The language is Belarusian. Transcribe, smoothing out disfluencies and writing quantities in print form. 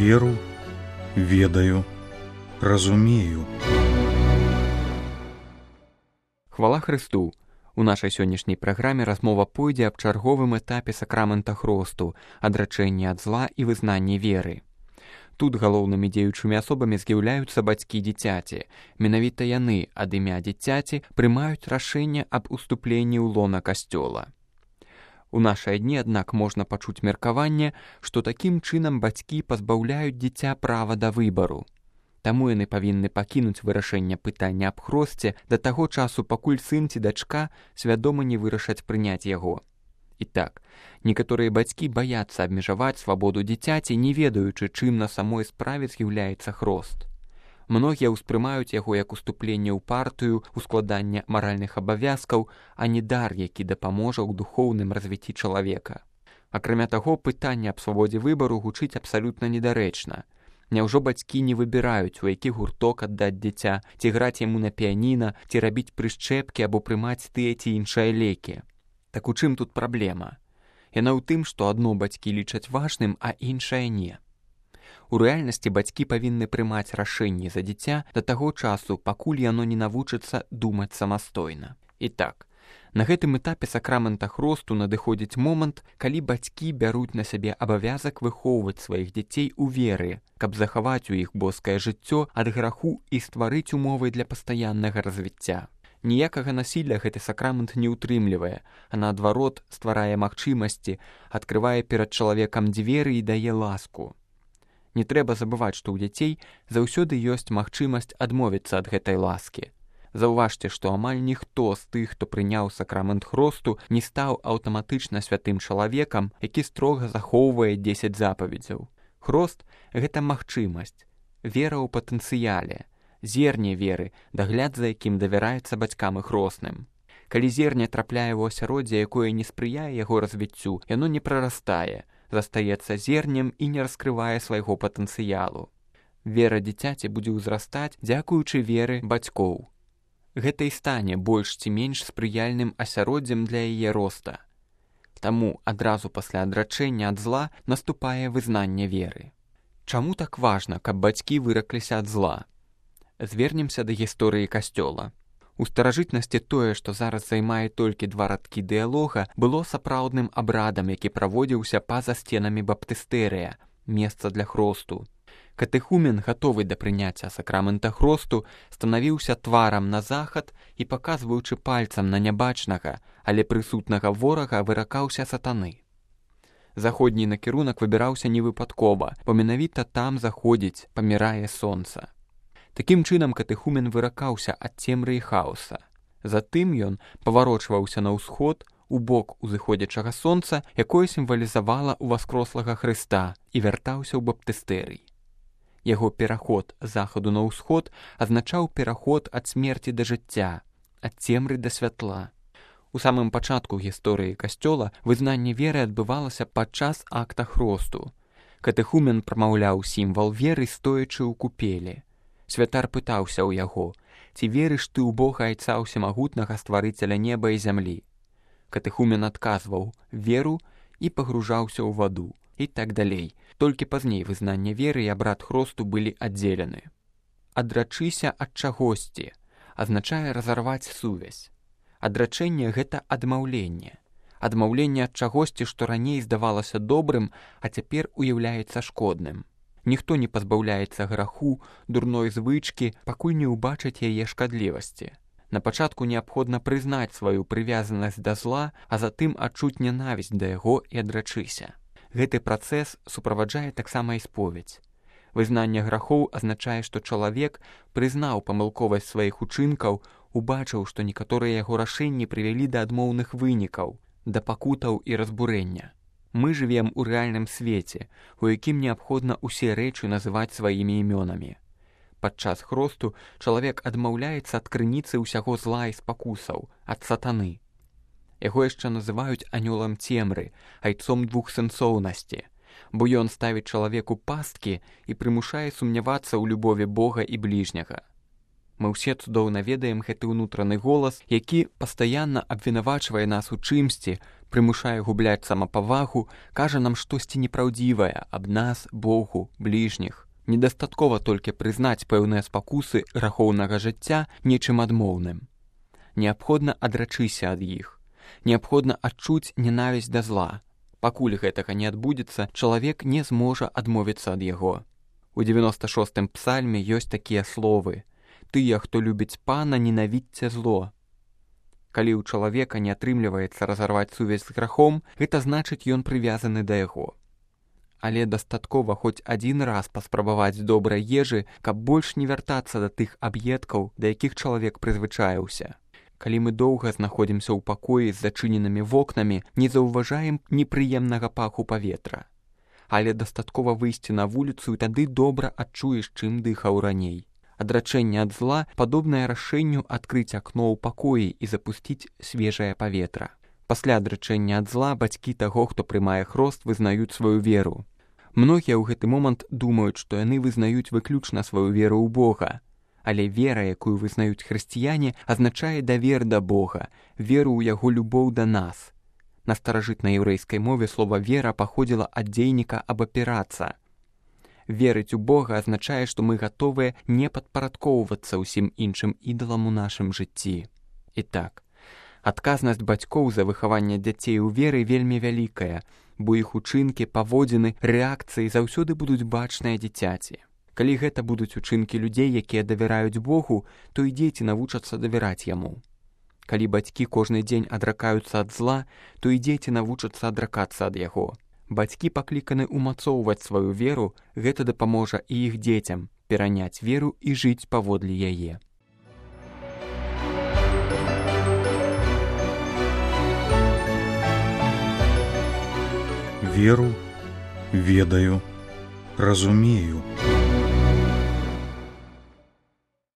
веру, ведаю, разумею. Хвала Хрысту! У нашай сённяшняй праграме размова пойдзе аб чарговым этапе сакрамента хросту, адрачэння ад зла і вызнанні веры. Тут галоўнымі дзеючымі асобамі з'яўляюцца бацькі дзіцяці. Менавіта яны ад імя дзіцяці прымаюць рашэнне аб уступленні ў лона касцёла. У нашыя дні, аднак, можна пачуць меркаванне, што такім чынам бацькі пазбаўляюць дзіця права да выбару. Таму яны павінны пакінуць вырашэнне пытання аб хросце да таго часу, пакуль сын ці дачка свядома не вырашаць прыняць яго. І так, некаторыя бацькі баяцца абмежаваць свабоду дзіцяці, не ведаючы, чым на самой справе з'яўляецца хрост. Многія ўспрымаюць яго як уступленне ў партыю, ускладанне маральных абавязкаў, а не дар, які дапаможа ў духоўным развіцці чалавека. Акрамя таго, пытанне аб свабодзе выбару гучыць абсалютна недарэчна. Няўжо бацькі не выбіраюць, у які гурток аддаць дзіця, ці граць яму на піяніна, ці рабіць прышчэпкі або прымаць тыя ці іншыя лекі? Так у чым тут праблема? Яна ў тым, што адно бацькі лічаць важным, а іншае не. У рэальнасці бацькі павінны прымаць рашэнні за дзіця да таго часу, пакуль яно не навучыцца думаць самастойна. І так, на гэтым этапе сакрамента хросту надыходзіць момант, калі бацькі бяруць на сябе абавязак выхоўваць сваіх дзяцей у веры, каб захаваць у іх боскае жыццё ад граху і стварыць умовы для пастаяннага развіцця. Ніякага насілля гэты сакрамент не ўтрымлівае, а наадварот стварае магчымасці, адкрывае перад чалавекам дзверы і дае ласку. Не трэба забываць, што ў дзяцей заўсёды ёсць магчымасць адмовіцца ад гэтай ласкі. Заўважце, што амаль ніхто з тых, хто прыняў сакрамент хросту, не стаў аўтаматычна святым чалавекам, які строга захоўвае 10 запаведзяў. Хрост – гэта магчымасць, вера ў патэнцыяле, зерне веры, дагляд за якім давяраецца бацькам і хросным. Калі зерне трапляе ў асяроддзе, якое не спрыяе яго развіццю, яно не прарастае, застаецца зернем і не раскрывае свайго патэнцыялу. Вера дзіцяці будзе ўзрастаць, дзякуючы веры бацькоў. Гэта і стане больш ці менш спрыяльным асяроддзем для яе роста. Таму адразу пасля адрачэння ад зла наступае вызнанне веры. Чаму так важна, каб бацькі выракліся ад зла? Звернемся да гісторыі касцёла. У старажытнасці тое, што зараз займае толькі 2 радкі дыялога, было сапраўдным абрадам, які праводзіўся па-за сценамі баптыстэрыя, месца для хросту. Катэхумен, гатовы да прыняцця сакрамента хросту, станавіўся тварам на захад і, паказваючы пальцам на нябачнага, але прысутнага ворага, выракаўся сатаны. Заходні накірунак выбіраўся невыпадкова, бо менавіта там заходзіць, памірае сонца. Такім чынам катэхумен выракаўся ад цемры і хаоса. Затым ён паварочваўся на ўсход, у бок узыходзячага сонца, якое сімвалізавала ўваскрослага Хрыста, і вяртаўся ў баптыстэрый. Яго пераход з захаду на ўсход азначаў пераход ад смерці да жыцця, ад цемры да святла. У самым пачатку гісторыі касцёла вызнанне веры адбывалася падчас акта хросту. Катэхумен прамаўляў сімвал веры, стоячы ў купелі. Святар пытаўся ў яго: «Ці верыш ты ў Бога Айца Усемагутнага, стварыцеля неба і зямлі?» Катэхумен адказваў: «Веру» і пагружаўся ў ваду. І так далей. Толькі пазней вызнанне веры і абрад хросту былі аддзелены. Адрачыся ад чагосьці азначае разарваць сувязь. Адрачэнне – гэта адмаўленне. Адмаўленне ад чагосьці, што раней здавалася добрым, а цяпер уяўляецца шкодным. Ніхто не пазбаўляецца граху, дурной звычкі, пакуль не ўбачыць яе шкадлівасці. На пачатку неабходна прызнаць сваю прывязанасць да зла, а затым адчуць нянавісць да яго і адрачыся. Гэты працэс суправаджае таксама і споведзь. Вызнанне грахоў азначае, што чалавек прызнаў памылковасць сваіх учынкаў, убачыў, што некаторыя яго рашэнні прывялі да адмоўных вынікаў, да пакутаў і разбурэння. Мы жывем у рэальным свеце, у якім неабходна ўсе рэчы называць сваімі імёнамі. Падчас хросту чалавек адмаўляецца ад крыніцы ўсяго зла і спакусаў, ад сатаны. Яго яшчэ называюць анёлам цемры, айцом двухсэнсоўнасці, бо ён ставіць чалавеку пасткі і прымушае сумнявацца ў любові Бога і бліжняга. Мы ўсе цудоўна ведаем гэты ўнутраны голас, які пастаянна абвінавачвае нас у чымсьці, прымушае губляць самапавагу, кажа нам штосьці непраўдзівае аб нас, Богу, бліжніх. Недастаткова толькі прызнаць пэўныя спакусы грахоўнага жыцця нечым адмоўным. Неабходна адрачыся ад іх. Неабходна адчуць ненавісць да зла. Пакуль гэтага не адбудзецца, чалавек не зможа адмовіцца ад яго. У 96-м псальме ёсць такія словы: «Тыя, хто любіць Пана, ненавідзьце зло». Калі ў чалавека не атрымліваецца разарваць сувязь з грахом, гэта значыць, ён прывязаны да яго. Але дастаткова хоць адзін раз паспрабаваць добрай ежы, каб больш не вяртацца да тых аб'едкаў, да якіх чалавек прызвычаіўся. Калі мы доўга знаходзімся ў пакоі з зачыненымі вокнамі, не заўважаем непрыемнага паху паветра. Але дастаткова выйсці на вуліцу, і тады добра адчуеш, чым дыхаў раней. Адрачэнне ад зла падобнае рашэнню адкрыць акно ў пакоі і запусціць свежае паветра. Пасля адрачэння ад зла бацькі таго, хто прымае хрост, вызнаюць сваю веру. Многія ў гэты момант думаюць, што яны вызнаюць выключна сваю веру ў Бога. Але вера, якую вызнаюць хрысціяне, азначае давер да Бога, веру ў яго любоў да нас. На старажытнай яўрэйскай мове слова «вера» паходзіла ад дзейніка «абапірацца». Верыць у Бога азначае, што мы гатовыя не падпарадкоўвацца ўсім іншым ідалам у нашым жыцці. І так, адказнасць бацькоў за выхаванне дзяцей у веры вельмі вялікая, бо іх учынкі, паводзіны, рэакцыі заўсёды будуць бачныя дзіцяці. Калі гэта будуць учынкі людзей, якія давяраюць Богу, то і дзеці навучацца давяраць яму. Калі бацькі кожны дзень адракаюцца ад зла, то і дзеці навучацца адракацца ад яго. Бацькі пакліканы ўмацоўваць сваю веру, гэта дапаможа і іх дзецям пераняць веру і жыць паводле яе. Веру, ведаю, разумею.